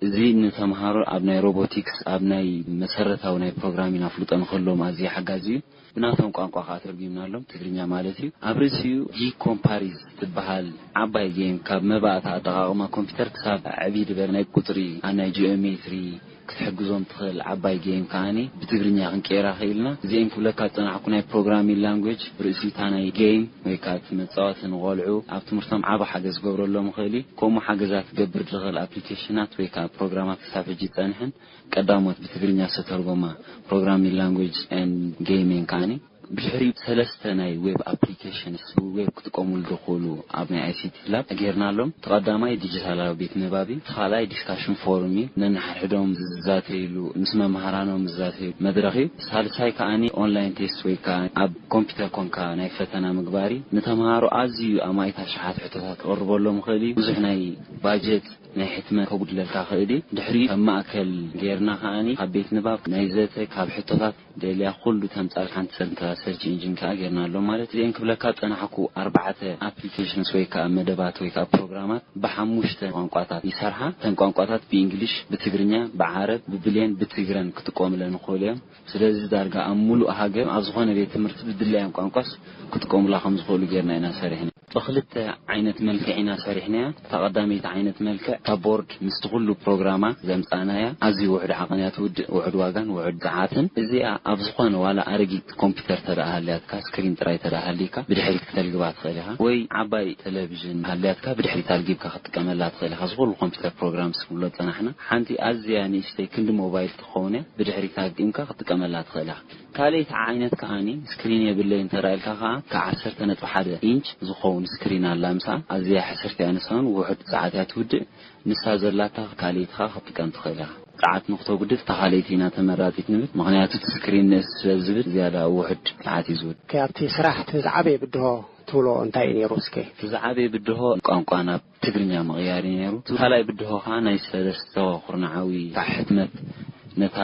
እዚ ንተምሃሮ ኣብ ናይ ሮቦቲክስ፣ ኣብ ናይ መሰረታዊ ናይ ፕሮግራሚንግ ኣፍልጦ ንክህልዎም ኣዝዩ ሓጋዚ እዩ። ብናቶም ቋንቋ ከዓ ተርጉምናሎም፣ ትግርኛ ማለት እዩ። ኣብ ርእሲኡ ጊግ ኮምፓሪዝ ትበሃል ዓባይ ጌም፣ ካብ መባእታ ኣጠቓቕማ ኮምፒውተር ክሳብ ዕብይ ድበር ናይ ቁፅሪ፣ ኣብ ናይ ጂኦሜትሪ ክትሕግዞም ትኽእል ዓባይ ጌም ከዓኒ ብትግርኛ ክንቀይራ ክኢልና። እዚአን ክብለካ ዝፀናሕኩ ናይ ፕሮግራሚንግ ላንጉጅ ብርእሲታ ናይ ጌም ወይ ከዓ እቲ መፃወቲ ንቆልዑ ኣብ ትምህርቶም ዓቢ ሓገዝ ክገብረሎም ይኽእል እዩ። ከምኡ ሓገዛት ክገብር ዝኽእል ኣፕሊኬሽናት ወይ ከዓ ፕሮግራማት ክሳብ ሕጂ ይፀንሕን ቀዳሞት ብትግርኛ ዝተተርጎማ ፕሮግራሚንግ ላንጉጅ ኤንድ ጌም እየን ከዓኒ። ብድሕሪኡ ሰለስተ ናይ ዌብ ኣፕሊኬሽንስ ዌብ ክጥቀሙሉ ዝኽእሉ ኣብ ናይ ኣይሲቲ ላብ ጌርናሎም። እቲ ቀዳማይ ዲጂታላዊ ቤት ንባብ እዩ። እቲ ካልኣይ ዲስካሽን ፎርም እዩ። ነንሓድሕዶም ዝዛተይሉ፣ ምስ መምሃራኖም ዝዛተይሉ መድረኽ እዩ። ሳልሳይ ከዓኒ ኦንላይን ቴስት ወይ ከዓ ኣብ ኮምፒውተር ኮንካ ናይ ፈተና ምግባር እዩ። ንተምሃሮ ኣዝዩ ኣማኢት ኣሽሓት ሕቶታት ክቕርበሎም ይኽእል እዩ። ብዙሕ ናይ ባጀት ናይ ሕትመት ከጉድለልካ ክእል እዩ። ድሕሪኡ ከም ማእከል ጌርና ከዓኒ ካብ ቤት ንባብ ናይ ዘተ ካብ ሕቶታት ደልያ ኩሉ ተምጻል ሓንቲ ሰንትራ ሰርች ኢንጂን ከኣ ጌርና ኣሎ ማለት እዚአን ክብለካ ጸናሕኩ ኣርባዕተ ኣፕሊኬሽንስ ወይ ከኣ መደባት ወይ ከኣ ፕሮግራማት ብሓሙሽተ ቋንቋታት ይሰርሓ። እተን ቋንቋታት ብእንግሊሽ፣ ብትግርኛ፣ ብዓረብ፣ ብብሌን፣ ብትግረን ክጥቀሙለን ይኽእሉ እዮም። ስለዚ ዳርጋ ኣብ ሙሉእ ሃገር ኣብ ዝኾነ ቤት ትምህርቲ ብድላዮም ቋንቋስ ክጥቀሙላ ከም ዝኽእሉ ጌርና ኢና ሰሪሕና። ብኽልተ ዓይነት መልክዕ ኢና ሰሪሕናያ። እታ ቀዳመይቲ ዓይነት መልክዕ እታ ቦርድ ምስቲ ኩሉ ፕሮግራማ ዘምጻእናያ ኣዝዩ ውሑድ ዓቐን እያ ትውድእ፣ ውሑድ ዋጋን ውሑድ ጸዓትን። እዚኣ ኣብ ዝኾነ ዋላ ኣረጊት ኮምፒውተር ተደኣ ሃልያትካ፣ ስክሪን ጥራይ ተደኣ ሃልይካ ብድሕሪት ክተልግባ ትኽእል ኢኻ። ወይ ዓባይ ቴሌቪዥን ሃልያትካ ብድሕሪት ኣልጊብካ ክትጥቀመላ ትኽእል ኢኻ። ዝኹሉ ኮምፒውተር ፕሮግራምስ ክብሎ ዝጸናሕና ሓንቲ ኣዝያ ንእሽተይ ክንዲ ሞባይል ትኸውን እያ። ብድሕሪት ኣግጢምካ ክትጥቀመላ ትኽእል ኢኻ። ካልኣይቲ ዓይነት ከዓኒ ስክሪን የብለይ እንተ ኢልካ ከኣ ካብ ዓሰርተ ነጥቢ ሓደ ኢንች ዝኸውን ስክሪን ኣላ። ምሳ ኣዝያ ሕስርቲ እያ፣ ንሳ እውን ውሑድ ሰዓት እያ ትውድእ። ንሳ ዘላታ ካልኣይቲ ከኣ ክትጥቀም ትኽእል ኢኻ። ሰዓት ንክተጉድል እታ ካልኣይቲ ኢና ተመራጺት ንብል፣ ምኽንያቱ እቲ ስክሪን ንእስ ስለ ዝብል ዝያዳ ውሑድ ሰዓት እዩ ዝውድእ። ከ ኣብቲ ስራሕ እቲ ዝዓበየ ብድሆ ትብሎ እንታይ እዩ ነይሩ እስከ? እቲ ዝዓበየ ብድሆ ቋንቋ ናብ ትግርኛ ምቕያር እዩ ነይሩ። እቲ ካልኣይ ብድሆ ከኣ ናይ ሰለስተ ኩርናዓዊ ሕትመት ነታ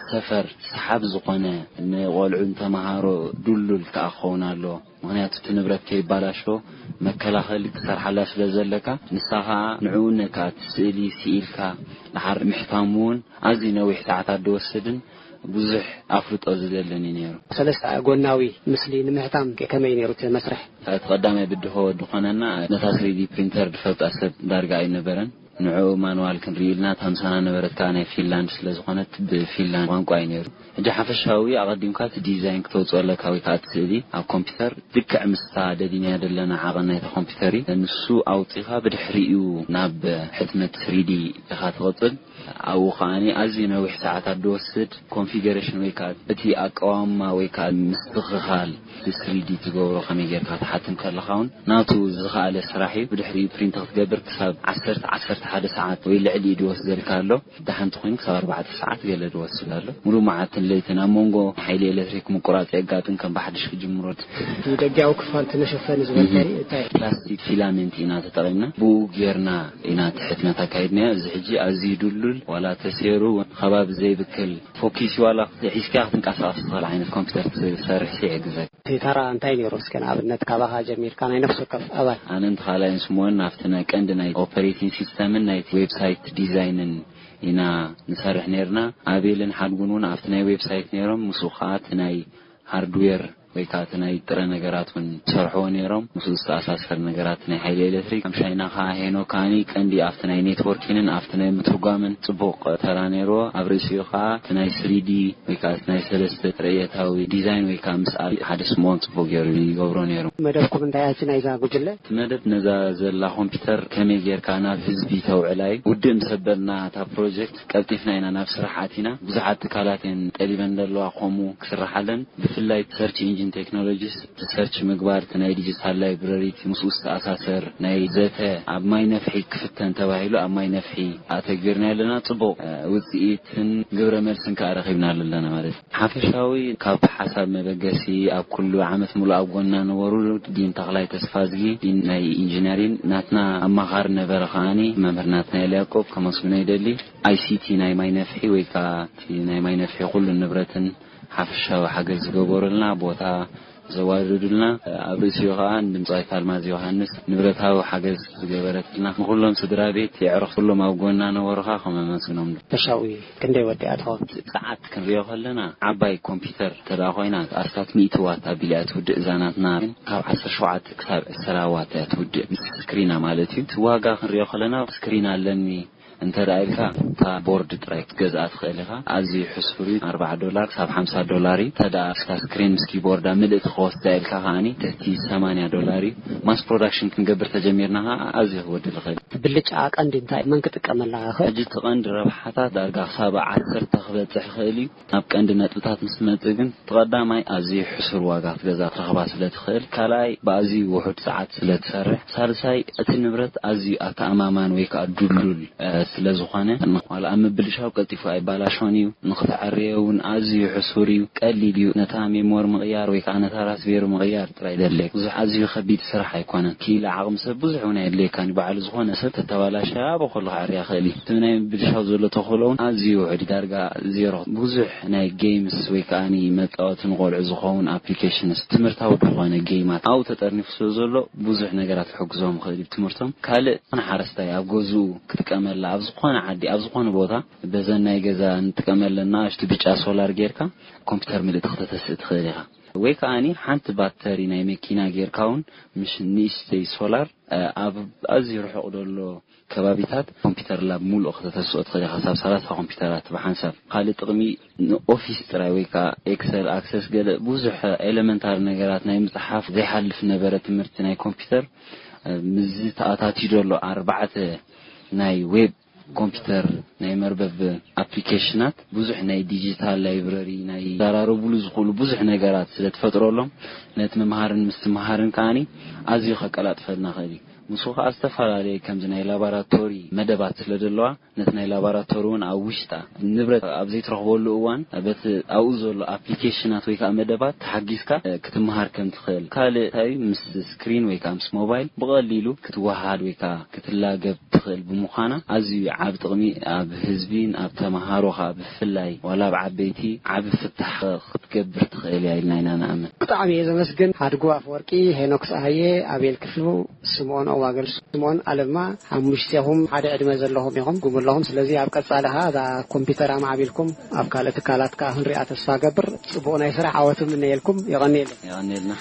ሰፈር ሰሓብ ዝኾነ ንቖልዑ ንተምሃሮ ድሉል ከኣ ክኸውን ኣለዎ። ምኽንያቱ እቲ ንብረት ከይባላሾ መከላኸሊ ክትሰርሓላ ስለ ዘለካ፣ ንሳ ኸኣ ንዕኡ ነካ እቲ ስእሊ ስኢልካ ድሓር ምሕታሙ እውን ኣዝዩ ነዊሕ ሰዓታት ዝወስድን ብዙሕ ኣፍልጦ ዝደልን እዩ ነይሩ። ሰለስተ ጎናዊ ምስሊ ንምሕታም ከመይ ነይሩ እቲ መስርሕ? እቲ ቀዳማይ ብድሆ ዝኾነና ነታ ስሪዲ ፕሪንተር ዝፈልጣ ሰብ ዳርጋ ኣይነበረን። ንዕኡ ማንዋል ክንርኢ ኢልና፣ እታ ምሳና ነበረት ከኣ ናይ ፊንላንድ ስለ ዝኾነት ብፊንላንድ ቋንቋ እዩ ነይሩ። ሕጂ ሓፈሻዊ ኣቐዲምካ እቲ ዲዛይን ክተውፅኦ ኣለካ ወይ ከኣ እቲ ስእሊ ኣብ ኮምፒውተር ልክዕ ምስታ ደሊናያ ዘለና ዓቐን ናይታ ኮምፒውተር እዩ። ንሱ ኣውፂኻ ብድሕሪኡ ናብ ሕትመት ስሪዲ ኢኻ ትቕፅል። ኣብኡ ከዓኒ ኣዝዩ ነዊሕ ሰዓታት ዝወስድ ኮንፊገሬሽን ወይ ከኣ እቲ ኣቀዋምማ ወይ ከኣ ምስትኽኻል ስሪዲ ትገብሮ ከመይ ጌርካ ትሓትም ከለኻ እውን ናቱ ዝኸኣለ ስራሕ እዩ። ብድሕሪኡ ፕሪንት ክትገብር ክሳብ ዓሰርተ፣ ዓሰርተ ሓደ ሰዓት ወይ ልዕሊኡ ዝወስደልካ ኣሎ። ደሓን እንተኾይኑ ክሳብ ኣርባዕተ ሰዓት ገለ ዝወስድ ኣሎ። ሙሉእ መዓልትን ለይትን ኣብ መንጎ ሓይሊ ኤሌክትሪክ ምቁራፅ የጋጥም፣ ከም ብሓድሽ ክጅምሮ። እቲ ደጊያዊ ክፋል እቲ መሸፈኒ ዝበልካኒ እንታይ? ፕላስቲክ ፊላሜንት ኢና ተጠቒምና፣ ብኡ ጌርና ኢና እቲ ሕትመት ኣካይድናዮ። እዚ ሕጂ ኣዝዩ ድሉል፣ ዋላ ተሰይሩ እውን ከባቢ ዘይብክል፣ ፎኪስ ዋላ ሒዝካ ክትንቀሳቐስ ትኽእል ዓይነት ኮምፒውተር ክትሰርሕ ይሕግዘካ። እቲ ተራ እንታይ ነይሩ? እስከ ንኣብነት ካባኻ ጀሚርካ ናይ ነፍሲ ወከፍ ኣባል። ኣነን እቲ ካልኣይን ስምኦን ኣብቲ ናይ ቀንዲ ናይ ኦፐሬቲንግ ሲስተምን ናይ ዌብሳይት ዲዛይንን ኢና ንሰርሕ ነይርና። ኣቤልን ሓድጉን እውን ኣብቲ ናይ ዌብሳይት ነይሮም። ምስኡ ከዓ እቲ ናይ ሃርድዌር ወይ ከዓ እቲ ናይ ጥረ ነገራት እውን ዝሰርሕዎ ነይሮም። ምስኡ ዝተኣሳሰር ነገራት ናይ ሓይሊ ኤሌክትሪክ። ሓምሻይና ከዓ ሄኖክ ከዓኒ ቀንዲ ኣብቲ ናይ ኔትወርኪንን ኣብቲ ናይ ምትርጓምን ጽቡቕ ተራ ነይርዎ። ኣብ ርእሲኡ ከዓ እቲ ናይ ስሪዲ ወይ ከዓ እቲ ናይ ሰለስተ ርእየታዊ ዲዛይን ወይ ከዓ ምስኣል ሓደ ስምኦን ጽቡቕ ገይሩ ይገብሮ ነይሩ። መደብኩም እንታይ ኣቲ ናይዛ ጉጅለ? እቲ መደብ ነዛ ዘላ ኮምፒውተር ከመይ ጌርካ ናብ ህዝቢ ተውዕላ እዩ። ውድእ ምስ ኣበልና እታ ፕሮጀክት ቀልጢፍና ኢና ናብ ስራሕ ኣቲና። ብዙሓት ትካላት እየን ጠሊበን ዘለዋ ከምኡ ክስርሓለን። ብፍላይ ሰርች ኢንጂን ቴክኖሎጂስ እቲ ሰርች ምግባር፣ እቲ ናይ ዲጂታል ላይብረሪ፣ እቲ ምስኡ ዝተኣሳሰር ናይ ዘተ ኣብ ማይ ነፍሒ ክፍተን ተባሂሉ ኣብ ማይ ነፍሒ ኣተግቢርና ኣለና። ጽቡቕ፣ እ፣ ውጽኢትን ግብረ መልስን ከኣ ረኺብናሉ ኣለና ማለት እዩ። ሓፈሻዊ ካብ ሓሳብ መበገሲ ኣብ ኩሉ ዓመት ሙሉእ ኣብ ጎንና ነበሩ ዲን ተኽላይ ተስፋዝጊ፣ ዲን ናይ ኢንጂነሪን ናትና ኣማኻሪ ነበረ። ከኣኒ መምህር ናትናኤል ያዕቆብ ከመስግኖ ይደሊ። ኣይሲቲ ናይ ማይ ነፍሒ ወይ ከኣ እቲ ናይ ማይ ነፍሒ ኩሉ ንብረትን ሓፈሻዊ ሓገዝ ዝገበሩልና፣ ቦታ ዘዋደዱልና፣ ኣብ ርእሲኡ ከዓ ንድምፃዊት ኣልማዝ ዮሃንስ ንብረታዊ ሓገዝ ዝገበረትና፣ ንኩሎም ስድራ ቤት የዕሩኽ ኩሎም ኣብ ጎና ነበሩኻ ከም ኣመስግኖም። ተሻዊ ክንደይ ወዲኣ ትኸውን? ሰዓት ክንሪኦ ከለና ዓባይ ኮምፒውተር እንተ ደኣ ኮይና ኣስታት ሚእቲ ዋት ኣቢላ እያ ትውድእ። እዛ ናትና ግን ካብ ዓሰርተ ሸውዓተ ክሳብ ዕስራ ዋት እያ ትውድእ፣ ምስ ስክሪና ማለት እዩ። እቲ ዋጋ ክንሪኦ ከለና ስክሪን ኣለኒ እንተ ደኣ ኢልካ እታ ቦርድ ጥራይ ክትገዝኣ ትኽእል ኢኻ። ኣዝዩ ሕሱር እዩ። ኣርባዓ ዶላር ክሳብ ሓምሳ ዶላር እዩ። እንተ ደኣ እስካ ስክሪን ምስ ኪቦርዳ ምልእቲ ክወስዳ ኢልካ ከኣኒ ትሕቲ ሰማንያ ዶላር እዩ። ማስ ፕሮዳክሽን ክንገብር ተጀሚርና ከኣ ኣዝዩ ክወድእ ይኽእል። እቲ ብልጫ ቀንዲ እንታይ መን ክጥቀመላ ይኽእል? ሕጂ እቲ ቀንዲ ረብሓታት ዳርጋ ክሳብ ዓሰርተ ክበጽሕ ይኽእል እዩ። ናብ ቀንዲ ነጥብታት ምስ መጽእ ግን፣ እቲ ቀዳማይ ኣዝዩ ሕሱር ዋጋ ክትገዝኣ ክትረኽባ ስለ ትኽእል፣ ካልኣይ ብኣዝዩ ውሑድ ሰዓት ስለ ትሰርሕ፣ ሳልሳይ እቲ ንብረት ኣዝዩ ኣተኣማማኒ ወይ ከኣ ድሉል፣ እ፣ ስለ ዝኾነ፣ ዋላ ኣብ ምብልሻው ቀልጢፉ ኣይባላሾን እዩ፣ ንኽትዐርዮ እውን ኣዝዩ ሕሱር እዩ፣ ቀሊል እዩ። ነታ ሜሞሪ ምቕያር ወይ ከኣ ነታ ራስቤሪ ምቕያር ጥራይ ደለየካ። ብዙሕ ኣዝዩ ከቢድ ስራሕ ኣይኮነን። ክኢላ ዓቕሚ ሰብ ብዙሕ እውን ኣየድልየካን እዩ። ባዕሉ ዝኾነ ሰብ ተተባላሸ ኣብ ከሎ ክዕርያ ክእል እዩ። እቲ ናይ ምብልሻው ዘሎ ተኽእሎ እውን ኣዝዩ ውሑድ እዩ፣ ዳርጋ ዜሮ። ብዙሕ ናይ ጌምስ ወይ ከኣ መጻወቲ ንቆልዑ ዝኸውን ኣፕሊኬሽንስ፣ ትምህርታዊ ዝኾነ ጌማት ኣብኡ ተጠርኒፉ ስለ ዘሎ ብዙሕ ነገራት ክሕግዞም ይኽእል እዩ ትምህርቶም። ካልእ ዝኾነ ሓረስታይ ኣብ ገዝኡ ክጥቀመላ ኣብ ዝኾነ ዓዲ ኣብ ዝኾነ ቦታ በዘን ናይ ገዛ እንጥቀመለን ንኣሽቱ ብጫ ሶላር ጌርካ ኮምፒውተር ምልእቲ ክተተስእ ትኽእል ኢኻ። ወይ ከኣኒ ሓንቲ ባተሪ ናይ መኪና ጌርካ እውን ምሽ ንእሽተይ ሶላር፣ እ፣ ኣብ ኣዝዩ ርሑቕ ዘሎ ከባቢታት ኮምፒውተር ላብ ሙሉእ ክተተስኦ ትኽእል ኢኻ። ክሳብ ሰላሳ ኮምፒውተራት ብሓንሳብ። ካልእ ጥቕሚ ንኦፊስ ጥራይ ወይ ከኣ ኤክሰል፣ ኣክሰስ፣ ገለ ብዙሕ ኤለመንታሪ ነገራት ናይ ምጽሓፍ ዘይሓልፍ ነበረ ትምህርቲ ናይ ኮምፒውተር፣ እ፣ ምስዚ ተኣታትዩ ዘሎ ኣርባዕተ ናይ ዌብ ኮምፒውተር ናይ መርበብ ኣፕሊኬሽናት፣ ብዙሕ ናይ ዲጂታል ላይብረሪ፣ ናይ ዘራረቡሉ ዝኽእሉ ብዙሕ ነገራት ስለ ትፈጥረሎም፣ ነቲ ምምሃርን ምስትምሃርን ከኣኒ ኣዝዩ ከቀላጥፈልና ይኽእል እዩ። ምስኡ ከኣ ዝተፈላለየ ከምዚ ናይ ላቦራቶሪ መደባት ስለ ዘለዋ፣ ነቲ ናይ ላቦራቶሪ እውን ኣብ ውሽጣ ንብረት ኣብ ዘይትረኽበሉ እዋን በቲ ኣብኡ ዘሎ ኣፕሊኬሽናት ወይ ከኣ መደባት ተሓጊዝካ፣ እ፣ ክትምሃር ከም ትኽእል። ካልእ እንታይ ምስ ስክሪን ወይ ከኣ ምስ ሞባይል ብቐሊሉ ክትወሃሃድ ወይ ከኣ ክትላገብ ትኽእል ብምዃና፣ ኣዝዩ ዓቢ ጥቕሚ ኣብ ህዝቢን ኣብ ተመሃሮ ከኣ ብፍላይ ዋላ ኣብ ዓበይቲ ዓቢ ፍታሕ ክትገብር ትኽእል እያ ኢልና ኢና ንኣምን። ብጣዕሚ እየ ዘመስግን። ሓድጉ ኣፈወርቂ፣ ሄኖክ ሰሃየ፣ ኣቤል ክፍሉ፣ ስምኦን ኣዋገል፣ ስምኦን ኣለማ፣ ሓሙሽቴኹም ሓደ ዕድመ ዘለኹም ኢኹም፣ ጉም ኣለኹም። ስለዚ ኣብ ቀጻሊ ኸኣ እዛ ኮምፒውተር ኣማዕቢልኩም ኣብ ካልእ ትካላት ከኣ ክንሪኣ ተስፋ ገብር። ጽቡቕ ናይ ስራሕ ዓወት እምነየልኩም። የቐንየለይ። የቐንየልና።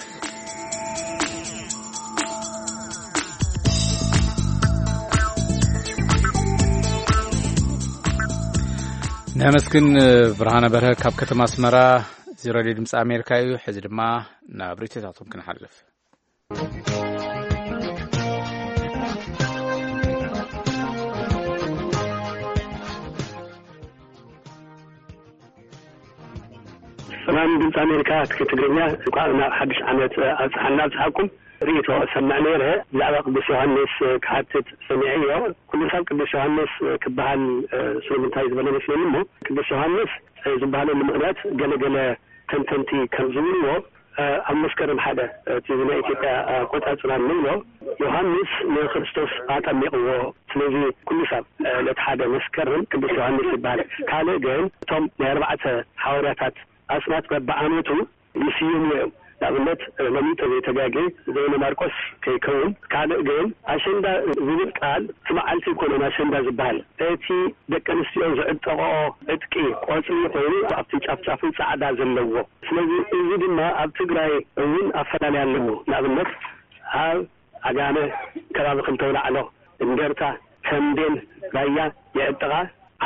ነመስግን ብርሃነ በርሀ ካብ ከተማ ኣስመራ። እዚ ሬድዮ ድምፂ ኣሜሪካ እዩ። ሕዚ ድማ ናብ ርእይቶታቶም ክንሓልፍ። ሰላም ድምፂ ኣሜሪካ፣ ትግርኛ፣ እንኳዕ ናብ ሓድሽ ዓመት ኣብፅሓና ኣብፅሓኩም። ርእይቶ እሰምዕ ነይረ፣ ብዛዕባ ቅዱስ ዮሃንስ ክሓትት ሰሚዐዮ። ኩሉ ሰብ ቅዱስ ዮሃንስ ክበሃል ስለምንታይ ዝበለ መስለኒ እሞ፣ ቅዱስ ዮሃንስ ዝበሃለሉ ምኽንያት ገለገለ ተንተንቲ ከም ዝብልዎ፣ ኣብ መስከረም ሓደ፣ እቲ ናይ ኢትዮጵያ ኣቆፃፅራ ንብሎ፣ ዮሃንስ ንክርስቶስ ኣጠሚቕዎ። ስለዚ ኩሉ ሰብ ነቲ ሓደ መስከረም ቅዱስ ዮሃንስ ይበሃል። ካልእ ግን እቶም ናይ ኣርባዕተ ሓዋርያታት ኣስማት በብዓመቱ ይስይሙ እዮም። ንኣብነት፣ ሎሚ እንተዘይተጋጌ፣ ዘይነ ማርቆስ ከይከውን። ካልእ ግን ኣሸንዳ ዝብል ቃል እቲ መዓልቲ ኣይኮነን ኣሸንዳ ዝበሃል። እቲ ደቂ ኣንስትዮ ዝዕጠቕኦ ዕጥቂ ቆጽሊ ኮይኑ፣ ኣብቲ ጫፍጫፉ ጻዕዳ ዘለዎ። ስለዚ እዚ ድማ ኣብ ትግራይ እውን ኣፈላላይ ኣለዎ። ንኣብነት፣ ኣብ ዓጋመ ከባቢ ክልተ ኣውላዕሎ፣ እንደርታ፣ ተምቤን፣ ራያ ይዕጠቓ።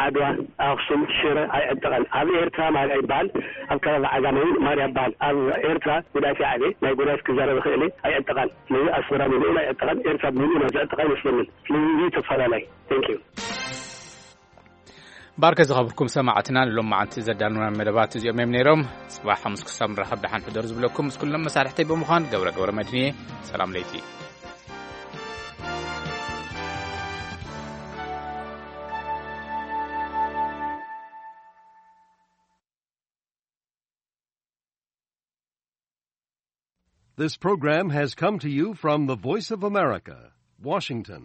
ዓድዋ፣ ኣኽሱም፣ ሽረ ኣይዕጠቐን። ኣብ ኤርትራ ማርያ ይበሃል፣ ኣብ ከባቢ ዓጋመ እውን ማርያ ይበሃል። ኣብ ኤርትራ ጉዳይፍ ይዓበ፣ ናይ ጉዳይፍ ክዛረብ ይኽእል እየ፣ ኣይዕጠቐን። ስለዚ ኣስመራ ብምልኡ ኣይዕጠቐን፣ ኤርትራ ብምልኡ ናይ ዝዕጠቐ ኣይመስለንን። ስለዚ እዚ ተፈላለይ። Thank you። ባርከ ዝኸብርኩም ሰማዕትና፣ ንሎም መዓልቲ ዘዳለውና መደባት እዚኦም እዮም ነይሮም። ጽባሕ ሓሙስ ክሳብ ንራኸብ ደሓን ሕደሩ ዝብለኩም ምስ ኩሎም መሳርሕተይ ብምዃን ገብረ ገብረ መድህን እየ። ሰላም ለይቲ። This program has come to you from the Voice of America, Washington.